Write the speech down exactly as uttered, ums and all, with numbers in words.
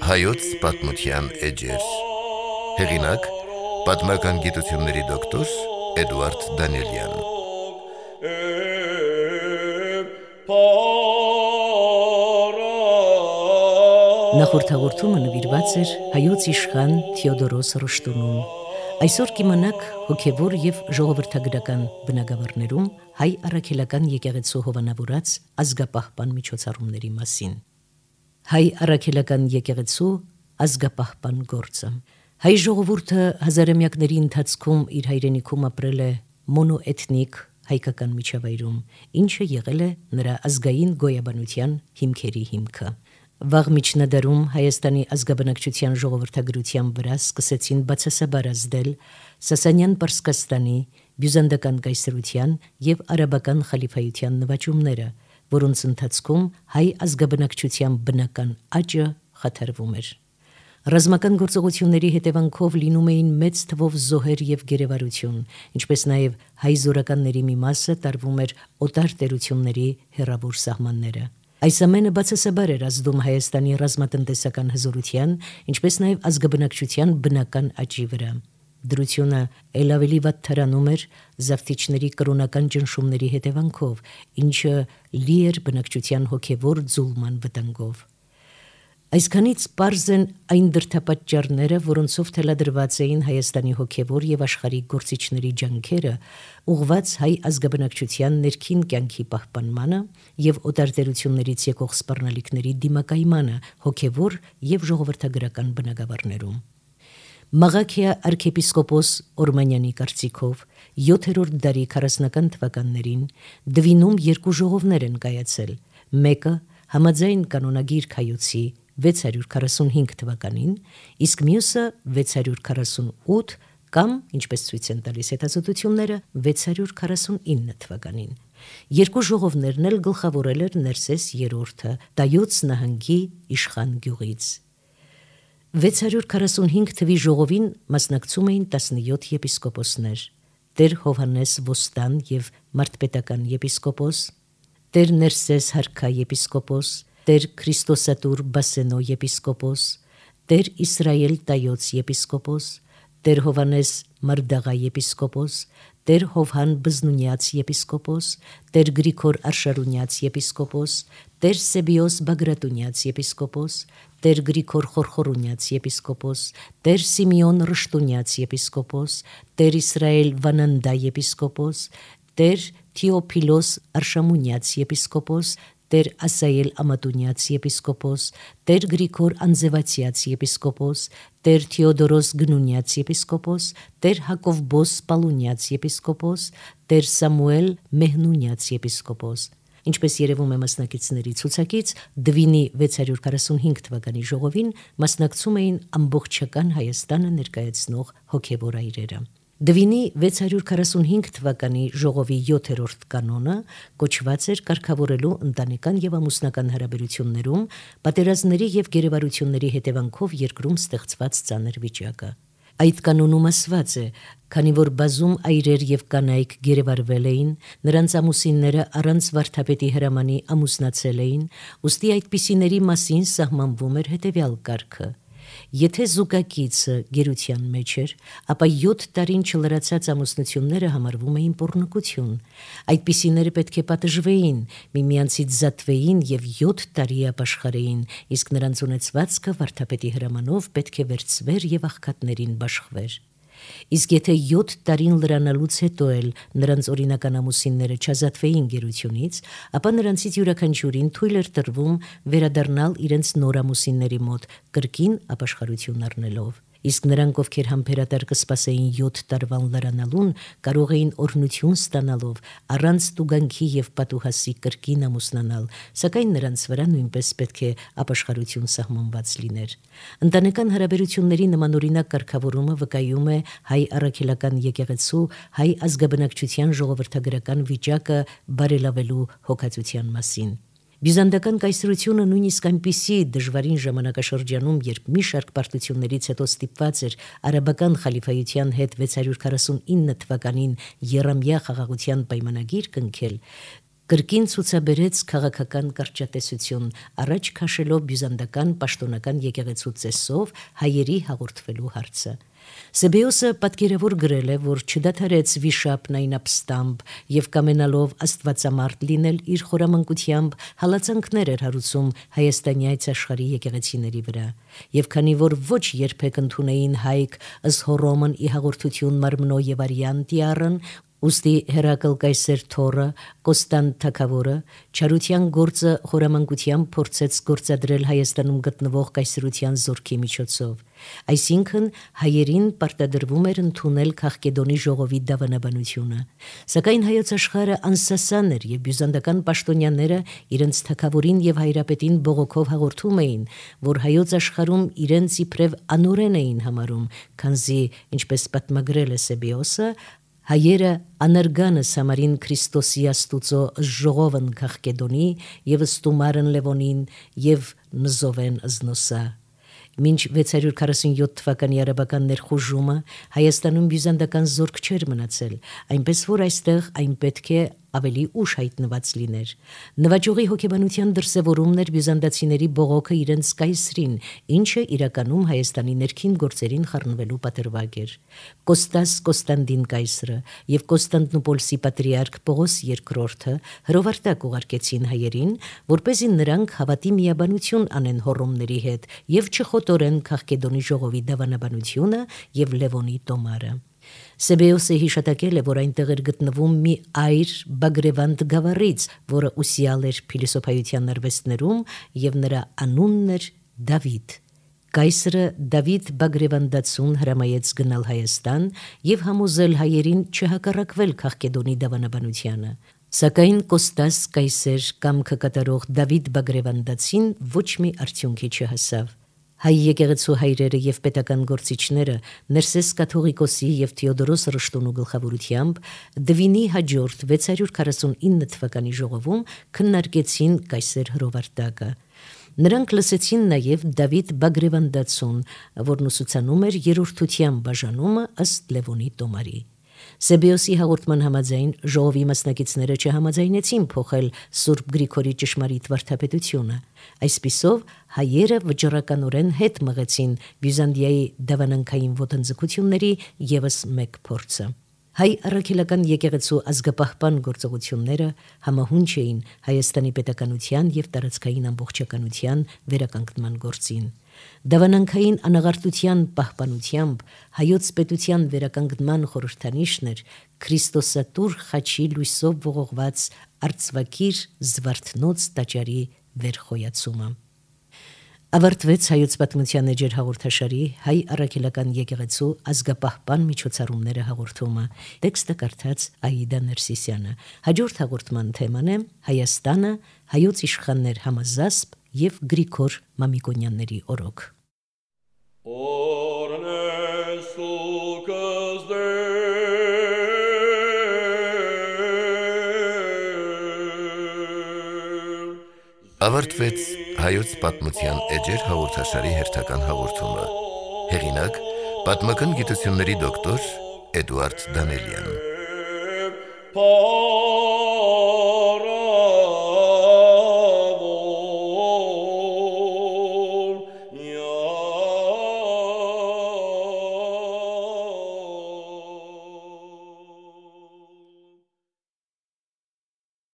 Հայոց պատմության էջեր։ Հեղինակ՝ պատմական գիտությունների դոկտոր Էդուարդ Դանիելյան։ Նախորդ հաղորդումը նվիրված էր հայոց իշխան Թեոդորոս Ռշտունուն։ Այսօր կիմանաք հոգևոր և ժողովրդագրական բնագավառներում հայ առաքելական եկեղեցու հովանավորած ազգապահպան միջոցառումների մասին։ Հայ առաքելական եկեղեցու ազգապահպան գործը։ Հայ ժողովուրդը հազարամյակների ընթացքում իր հայրենիքում ապրել է մոնոէթնիկ հայկական միջավայրում, ինչը եղել է նրա ազգային գոյաբանության հիմքերի հիմքը։ Վաղ միջնադարում Հայաստանի ազգաբնակչության ժողովրդագրության վրա սկսեցին բացասաբար ազդել Սասանյան Պարսկաստանի, բյուզանդական կայսրության և արաբական խալիֆայության նվաճումները, որոնց ընթացքում հայ ազգաբնակչության բնական աճը խաթարվում էր։ Ռազմական գործողությունների հետևանքով լինում էին մեծ թվով զոհեր և գերեվարություն, ինչպես նաև հայ զորականների մի մասը տարվում էր օտար տերությունների հեռավոր սահմանները։ Այս ամենը բացասաբար էր ազդում Հայաստանի ռազմատնտեսական հզորության, ինչպես նաև ազգաբնակչության բնական աճի վրա։ Դրությունը էլ ավելի վատթարանում էր զավթիչների կրոնական ճնշումների հետևանքով, ինչը լի էր բնակչության հոգևոր ձուլման վտանգով։ Այսքանից պարզ են այն դրդապատճառները, որոնցով թելադրված էին Հայաստանի հոգևոր և աշխարհիկ գործիչների ջանքերը ուղղված հայ ազգաբնակչության ներքին կյանքի պահպանմանը և օտարտերություններից եկող սպառնալիքների դիմակայմանը հոգևոր և ժողովրդագրական բնագավառներում։ Մաղաքիա արքեպիսկոպոս Օրմանյանի կարծիքով յոթերորդ դարի քառասնական թվականներին Դվինում երկու ժողովներ են կայացել, մեկը համաձայն կանոնագիր Քայոցի վեց հարյուր քառասունհինգ թվականին, իսկ մյուսը վեց հարյուր քառասունութ կամ, ինչպես ցույց են տալիս հետազոտությունները, վեց հարյուր քառասունինը թվականին։ Երկու ժողովներն էլ գլխավորել էր Ներսես երրորդը Տայոց նահանգի Իշխան գյուղից։ վեց հարյուր քառասունհինգ թվի ժողովին մասնակցում էին տասնյոթ եպիսկոպոսներ՝ Տեր Հովհաննես Ոստան և մարդպետական եպիսկոպոս, Տեր Ներսես Հարքա եպիսկոպոս, Տեր Քրիստոսատուր Բասենո եպիսկոպոս, Տեր Իսրայել Տայոց եպիսկոպոս, Տեր Հովհաննես Մարդաղա եպիսկոպոս, Տեր Հովհան Բզնունյաց եպիսկոպոս, Տեր Գրիգոր Արշարունյաց եպիսկոպոս, Տեր Սեբիոս Բագրատունյաց եպիսկոպոս, Տեր Գրիգոր Խորխորունյաց եպիսկոպոս, Տեր Սիմեոն Ռշտունյաց եպիսկոպոս, Տեր Իսրայել Վանանդա եպիսկոպոս, Տեր Թեոփիլոս Արշամունյաց եպիսկոպոս, Տեր Ասայել Ամատունյաց եպիսկոպոս, Տեր Գրիգոր Անձևացյաց եպիսկոպոս, Տեր Թեոդորոս Գնունյաց եպիսկոպոս, Տեր Հակովբոս Պալունյաց եպիսկոպոս, Տեր Սամուել Մեհնունյաց եպիսկոպոս։ Ինչպես երևում է մասնակիցների ցուցակից, Դվինի վեց հարյուր քառասունհինգ թվականի ժողովին մասնակցում էին ամբողջական Հայաստանը ներկայացնող հոգևոր այրերը։ Դվինի վեց հարյուր քառասունհինգ թվականի ժողովի յոթերորդ կանոնը կոչված էր կարգավորելու ընտանեկան և ամուսնական հարաբերություններում պատերազմների և գերեվարությունների հետևանքով երկրում ստեղծված ծանր վիճակը։ Այդ կանոնում ասված է, քանի որ բազում այրեր և կանայք գերեվարվել էին, նրանց ամուսինները առանց վարդապետի հրամանի ամուսնացել էին, ուստի այդպիսիների մասին սահմանվում էր հետևյալ կարգը. Եթե զուգակիցը գերության մեջ էր, ապա յոթ տարին չլրացած ամուսնությունները համարվում էին պոռնկություն։ Այդպիսիները պետք է պատժվեին, միմյանցից զատվեին և յոթ տարի ապաշխարեին, իսկ նրանց ունեցվածքը վարդապետի հրամանով պետք է վերցվեր և աղքատներին բաշխվեր։ Իսկ եթե յոթ տարին լրանալուց հետո էլ նրանց օրինական ամուսինները չազատվեին գերությունից, ապա նրանցից յուրաքանչյուրին թույլ էր տրվում վերադառնալ իրենց նոր ամուսինների մոտ, կրկին ապաշխարություն առնելով։ Իսկ նրանք, ովքեր համբերատար կսպասեին յոթ տարվան լրանալուն, կարող էին օրհնություն ստանալով առանց տուգանքի և պատուհասի կրկին ամուսնանալ, սակայն նրանց վրա նույնպես պետք է ապաշխարություն սահմանված լիներ։ Ընտանեկան հարաբերությունների նմանօրինակ կարգավորումը վկայում է հայ առաքելական եկեղեցու հայ ազգաբնակչության ժողովրդագրական վիճակը բարելավելու հոգացության մասին։ Բյուզանդական կայսրությունը նույնիսկ այնպիսի դժվարին ժամանակաշրջանում, երբ մի շարք պարտություններից հետո ստիպված էր արաբական խալիֆայության հետ վեցսուն քառասունինը թվականին Եռամյա խաղաղության պայմանագիր կնքել, կրկին ցուցաբերեց քաղաքական կարճատեսություն, առաջ քաշելով բյուզանդական պաշտոնական եկեղեցու ծեսով հայերի հաղորդվելու հարցը։ Սեբեոսը պատկերավոր գրել է, որ չդադարեց վիշապն այն ապստամբ եւ կամենալով աստվածամարդ լինել իր խորամանկությամբ հալածանքներ էր հարուցում Հայաստանի այս աշխարհի եկեղեցիների վրա, եւ քանի որ ոչ երբեք ընդունեին հայք ըստ Հռոմն ի հաղորդություն մարմնո եւ արյան տիառն, ուստի Հերակլ կայսեր Թորը, Կոստանտ թագավորը չարության գործը խորամանկությամբ փորձեց գործադրել Հայաստանում գտնվող կայսրության զորքի միջոցով։ Այսինքն հայերին պարտադրվում էր ընդունել Քաղկեդոնի ժողովի դավանաբանությունը։ Սակայն հայոց աշխարհը անսասան էր եւ բյուզանդական պաշտոնյաները իրենց թագավորին եւ հայրապետին բողոքով հաղորդում էին, որ հայոց աշխարհում իրենց իբրև անօրեն էին համարում, քանզի, ինչպես պատմագրել է Սեբեոսը, հայերը անարգանս համարին Քրիստոսի աստուծո ժողովն Քաղկեդոնի եւ ստումարն Լևոնին եւ նզովեն զնոսա։ Մինչ վեցսուն քառասունյոթ թվականի արաբական ներխուժումը Հայաստանում բյուզանդական զորք չէր մնացել, այնպես որ այստեղ այն պետք է ավելի ուշ հայտնված լիներ։ Նվաճողի հոգեբանության դրսևորումն էր բյուզանդացիների բողոքը իրենց կայսրին, ինչը իրականում Հայաստանի ներքին գործերին խառնվելու պատրվակ էր։ Կոստաս Կոստանդին կայսրը եւ Կոստանդնուպոլսի պատրիարք Պողոս երկրորդը հրովարտակ ուղարկեցին հայերին, որպեսզի նրանք հավատի միաբանություն անեն հոռոմների հետ եւ չխոտորեն Քաղկեդոնի ժողովի դավանաբանությունը եւ Լևոնի տոմարը։ Սեբեոսը հիշատակել է, որ այնտեղ էր գտնվում մի այր Բագրևանդ գավառից, որը ուսյալ էր փիլիսոփայության արվեստներում եւ նրա անունն էր Դավիթ։ Կայսրը Դավիթ Բագրևանդացուն հրամայեց գնալ Հայաստան եւ համոզել հայերին չհակառակվել Քաղկեդոնի դավանաբանությանը։ Սակայն Կոստաս կայսեր կամքը կատարող Դավիթ Բագրևանդացին ոչ մի արդյունքի չհասավ։ Հայ եկեղեցու հայրերը եւ պետական գործիչները Ներսես Կաթողիկոսի եւ Թեոդորոս Ռշտունու գլխավորությամբ Դվինի հաջորդ վեցսուն քառասունինը թվականի ժողովում քննարկեցին կայսեր հրովարտակը։ Նրանք լսեցին նաեւ Դավիթ Բագրևանդացուն, որն ուսուցանում էր երրորդության բաժանումը ըստ Լևոնի տոմարի։ Սեբեոսի հաղորդման համաձայն ժողովի մասնակիցները չհամաձայնեցին փոխել Սուրբ Գրիգորի ճշմարիտ վարդապետությունը։ Այսպիսով հայերը վճռականորեն հետ մղեցին Բյուզանդիայի դավանանքային ոտնձգությունների եւս մեկ փորձը։ Հայ առաքելական եկեղեցու ազգապահպան գործողությունները համահունչ էին Հայաստանի պետականության եւ տարածքային ամբողջականության վերականգնման գործին։ Դավանանքային անաղարտության պահպանությամբ հայոց պետության վերականգնման խորհրդանիշն էր Քրիստոսատուր խաչի լույսով ողողված արծվակիր Զվարթնոց տաճարի վերխոյացումը։ Ավարտվեց հայոց պատմության էջեր հաղորդաշարի հայ առաքելական եկեղեցու ազգապահպան միջոցառումները հաղորդումը։ Տեքստը կարդաց Աիդա Ներսիսյանը։ Հաջորդ հաղորդման թեման է Հայաստանը, հայոց իշխաններ համազասպ եւ Գրիգոր Մամիկոնյանների օրոք։ Ավարտվեց հայոց պատմության էջեր հաղորդաշարի հերթական հաղորդումը։ Հեղինակ՝ պատմական գիտությունների դոկտոր Էդուարդ Դանելյան։